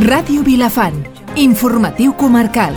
Ràdio Vilafant, informatiu comarcal.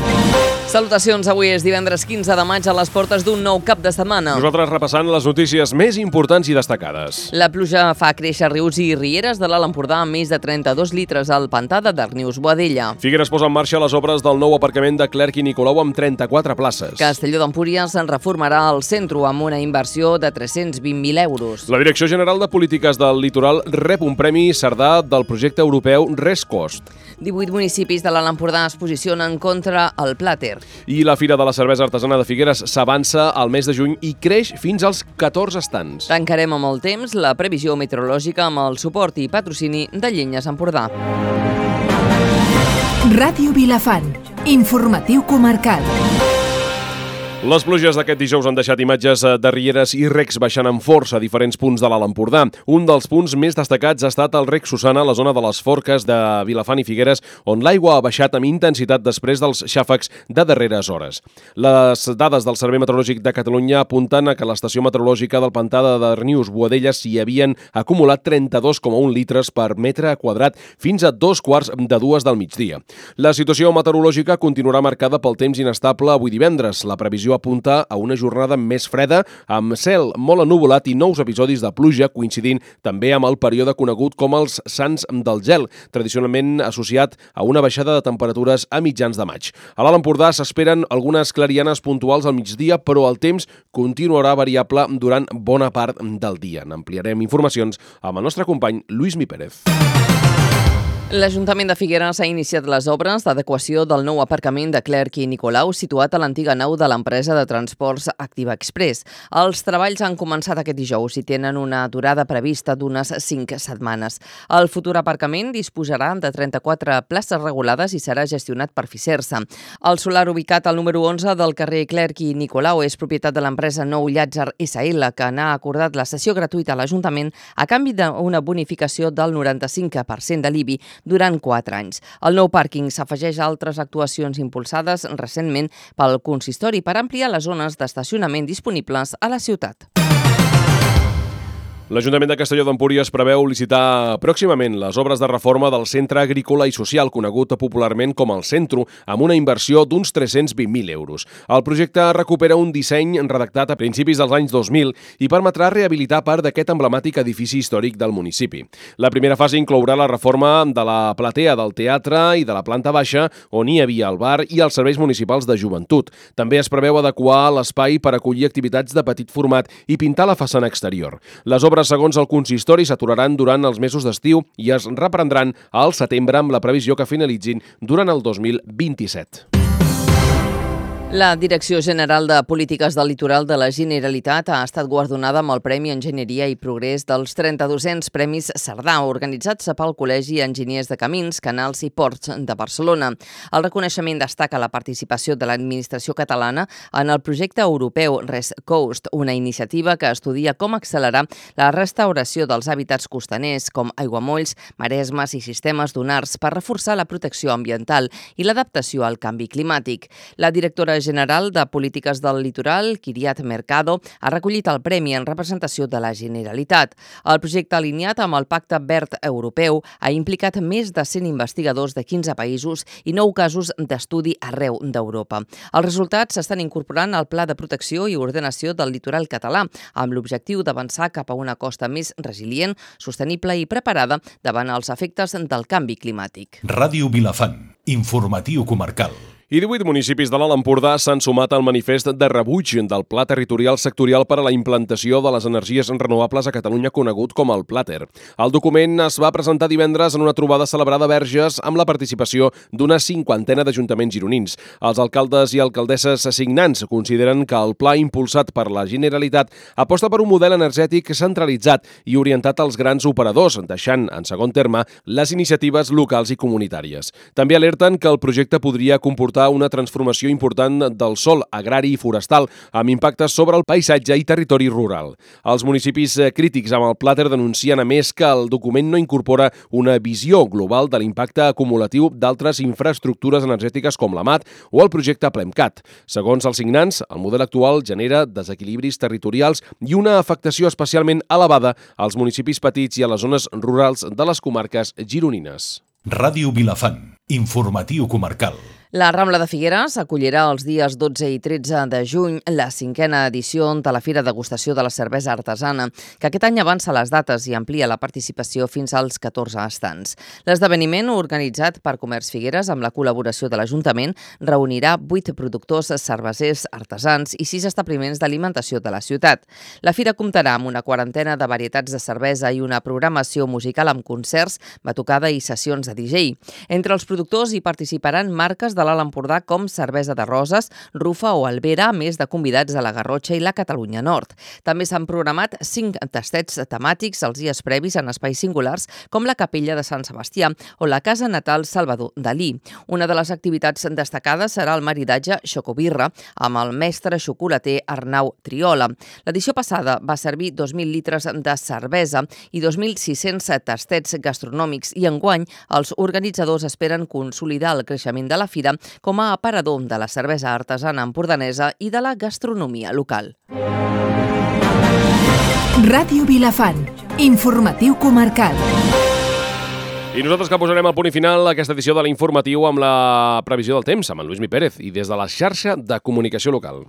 Salutacions, avui és divendres 15 de maig a les portes d'un nou cap de setmana. Nosaltres repassant les notícies més importants i destacades. La pluja fa créixer rius i rieres de l'Alt Empordà amb més de 32 litres al pantà de Darnius-Boadella. Figueres posa en marxa les obres del nou aparcament de Clerc i Nicolau amb 34 places. Castelló d'Empúries en reformarà el centre amb una inversió de 320.000 euros. La Direcció General de Polítiques del Litoral rep un premi Cerdà del projecte europeu ResCost. 18 municipis de l'Alt Empordà es posicionen contra el plàter. I la Fira de la Cervesa Artesana de Figueres s'avança al mes de juny i creix fins als 14 estants. Tancarem amb el temps la previsió meteorològica amb el suport i patrocini de Llenyes Empordà. Ràdio Vilafant, informatiu comarcal. Les pluges d'aquest dijous han deixat imatges de rieres i recs baixant amb força a diferents punts de l'Alt Empordà. Un dels punts més destacats ha estat el rec Susana, a la zona de les Forques de Vilafant i Figueres, on l'aigua ha baixat amb intensitat després dels xàfecs de darreres hores. Les dades del Servei Meteorològic de Catalunya apunten a que l'estació meteorològica del pantà de Darnius-Boadella s'hi havien acumulat 32,1 litres per metre quadrat fins a 2:15 del migdia. La situació meteorològica continuarà marcada pel temps inestable avui divendres. La previsió apunta a una jornada més freda, amb cel molt ennuvolat i nous episodis de pluja, coincidint també amb el període conegut com els Sants del Gel, tradicionalment associat a una baixada de temperatures a mitjans de maig. A l'Alt Empordà s'esperen algunes clarianes puntuals al migdia, però el temps continuarà variable durant bona part del dia. N'ampliarem informacions amb el nostre company Lluís Mi Pérez. L'Ajuntament de Figueres ha iniciat les obres d'adequació del nou aparcament de Clerc i Nicolau situat a l'antiga nau de l'empresa de transports Activa Express. Els treballs han començat aquest dijous i tenen una durada prevista d'unes 5 setmanes. El futur aparcament disposarà de 34 places regulades i serà gestionat per Fisersa. El solar ubicat al número 11 del carrer Clerc i Nicolau és propietat de l'empresa Nou Llàtzer SL, que n'ha acordat la cessió gratuïta a l'Ajuntament a canvi d'una bonificació del 95% de l'IBI durant 4 anys. El nou pàrquing s'afegeix a altres actuacions impulsades recentment pel consistori per ampliar les zones d'estacionament disponibles a la ciutat. L'Ajuntament de Castelló d'Empúries preveu licitar pròximament les obres de reforma del Centre Agrícola i Social, conegut popularment com el Centro, amb una inversió d'uns 320.000 euros. El projecte recupera un disseny redactat a principis dels anys 2000 i permetrà rehabilitar part d'aquest emblemàtic edifici històric del municipi. La primera fase inclourà la reforma de la platea del teatre i de la planta baixa, on hi havia el bar i els serveis municipals de joventut. També es preveu adequar l'espai per acollir activitats de petit format i pintar la façana exterior. Les obres, segons el consistori, s'aturaran durant els mesos d'estiu i es reprendran al setembre amb la previsió que finalitzin durant el 2027. La Direcció General de Polítiques del Litoral de la Generalitat ha estat guardonada amb el Premi Enginyeria i Progrés dels 32è Premis Cerdà, organitzats pel Col·legi Enginyers de Camins, Canals i Ports de Barcelona. El reconeixement destaca la participació de l'administració catalana en el projecte europeu ResCost, una iniciativa que estudia com accelerar la restauració dels hàbitats costaners, com aiguamolls, maresmes i sistemes dunars per reforçar la protecció ambiental i l'adaptació al canvi climàtic. La directora general de Polítiques del Litoral, Kiriat Mercado, ha recollit el premi en representació de la Generalitat. El projecte, alineat amb el Pacte Verd Europeu, ha implicat més de 100 investigadors de 15 països i 9 casos d'estudi arreu d'Europa. Els resultats s'estan incorporant al Pla de Protecció i Ordenació del Litoral català, amb l'objectiu d'avançar cap a una costa més resilient, sostenible i preparada davant els efectes del canvi climàtic. Ràdio Vilafant, informatiu comarcal. I 18 municipis de l'Alt Empordà s'han sumat al manifest de rebuig del Pla Territorial Sectorial per a la implantació de les energies renovables a Catalunya, conegut com el Plater. El document es va presentar divendres en una trobada celebrada a Verges amb la participació d'una 50ena d'ajuntaments gironins. Els alcaldes i alcaldesses signants consideren que el pla impulsat per la Generalitat aposta per un model energètic centralitzat i orientat als grans operadors, deixant en segon terme les iniciatives locals i comunitàries. També alerten que el projecte podria comportar una transformació important del sòl agrari i forestal, amb impactes sobre el paisatge i territori rural. Els municipis crítics amb el Plater denuncien, a més, que el document no incorpora una visió global de l'impacte acumulatiu d'altres infraestructures energètiques com la MAT o el projecte Plemcat. Segons els signants, el model actual genera desequilibris territorials i una afectació especialment elevada als municipis petits i a les zones rurals de les comarques gironines. Ràdio Vilafant, informatiu comarcal. La Rambla de Figueres acollirà els dies 12 i 13 de juny la 5a edició de la Fira Degustació de la Cervesa Artesana, que aquest any avança les dates i amplia la participació fins als 14 estants. L'esdeveniment, organitzat per Comerç Figueres amb la col·laboració de l'Ajuntament, reunirà 8 productors cervesers artesans i 6 establiments d'alimentació de la ciutat. La fira comptarà amb una quarantena de varietats de cervesa i una programació musical amb concerts, batucada i sessions de DJ. Entre els productors hi participaran marques de l'Alt Empordà com Cervesa de Roses, Rufa o Albera, a més de convidats de la Garrotxa i la Catalunya Nord. També s'han programat 5 tastets temàtics els dies previs en espais singulars com la Capella de Sant Sebastià o la Casa Natal Salvador Dalí. Una de les activitats destacades serà el maridatge xocobirra amb el mestre xocolater Arnau Triola. L'edició passada va servir 2.000 litres de cervesa i 2.600 tastets gastronòmics i enguany els organitzadors esperen consolidar el creixement de la fira com a aparador de la cervesa artesana empordanesa i de la gastronomia local. Ràdio Vilafant, informatiu comarcal. I nosaltres que posarem el punt i final a aquesta edició de l'Informatiu amb la previsió del temps, amb en Lluís Mi Pérez i des de la xarxa de comunicació local.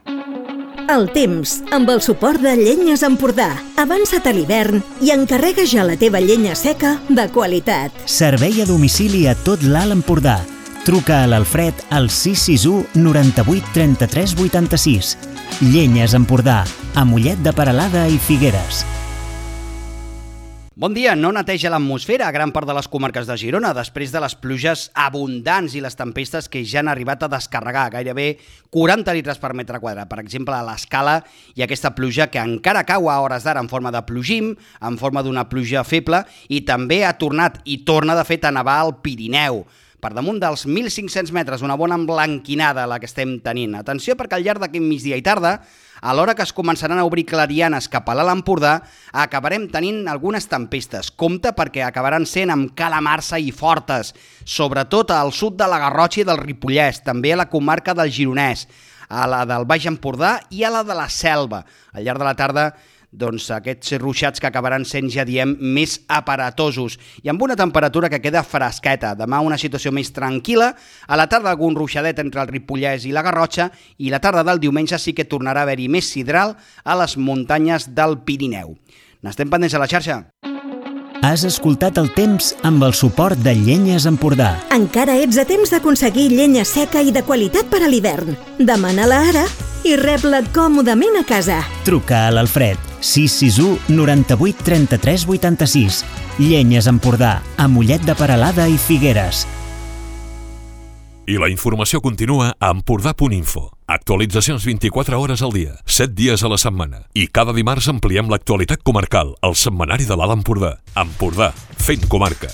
El temps, amb el suport de Llenyes Empordà. Avança't a l'hivern i encarrega ja la teva llenya seca de qualitat. Servei a domicili a tot l'Alt Empordà. Truca a l'Alfred al 661 98 33 86. Llenyes Empordà, a Mollet de Peralada i Figueres. Bon dia. No neteja l'atmosfera a gran part de les comarques de Girona després de les pluges abundants i les tempestes que ja han arribat a descarregar gairebé 40 litres per metre quadrat. Per exemple, a l'Escala hi ha aquesta pluja que encara cau a hores d'ara en forma de plogim, en forma d'una pluja feble, i també ha tornat i torna de fet a nevar al Pirineu. Per damunt dels 1.500 metres, una bona emblanquinada la que estem tenint. Atenció, perquè al llarg d'aquest migdia i tarda, a l'hora que es començaran a obrir clarianes cap a l'Alt Empordà, acabarem tenint algunes tempestes. Compte, perquè acabaran sent amb calamarsa i fortes, sobretot al sud de la Garrotxa i del Ripollès, també a la comarca del Gironès, a la del Baix Empordà i a la de la Selva. Al llarg de la tarda, doncs aquests ruixats que acabaran sent, ja diem, més aparatosos i amb una temperatura que queda fresqueta. Demà una situació més tranquil·la, a la tarda algun ruixadet entre el Ripollès i la Garrotxa i la tarda del diumenge sí que tornarà a haver-hi més sidral a les muntanyes del Pirineu. N'estem pendents a la xarxa. Has escoltat el temps amb el suport de Llenyes Empordà. Encara ets a temps d'aconseguir llenya seca i de qualitat per a l'hivern. Demana-la ara i rep-la còmodament a casa. Truca a l'Alfred 661 98 33 86. Llenyes Empordà, a Mollet de Peralada i Figueres. I la informació continua a empordà.info. Actualitzacions 24 hores al dia, 7 dies a la setmana. I cada dimarts ampliem l'actualitat comarcal, al setmanari de l'Alt Empordà. Empordà, fent comarca.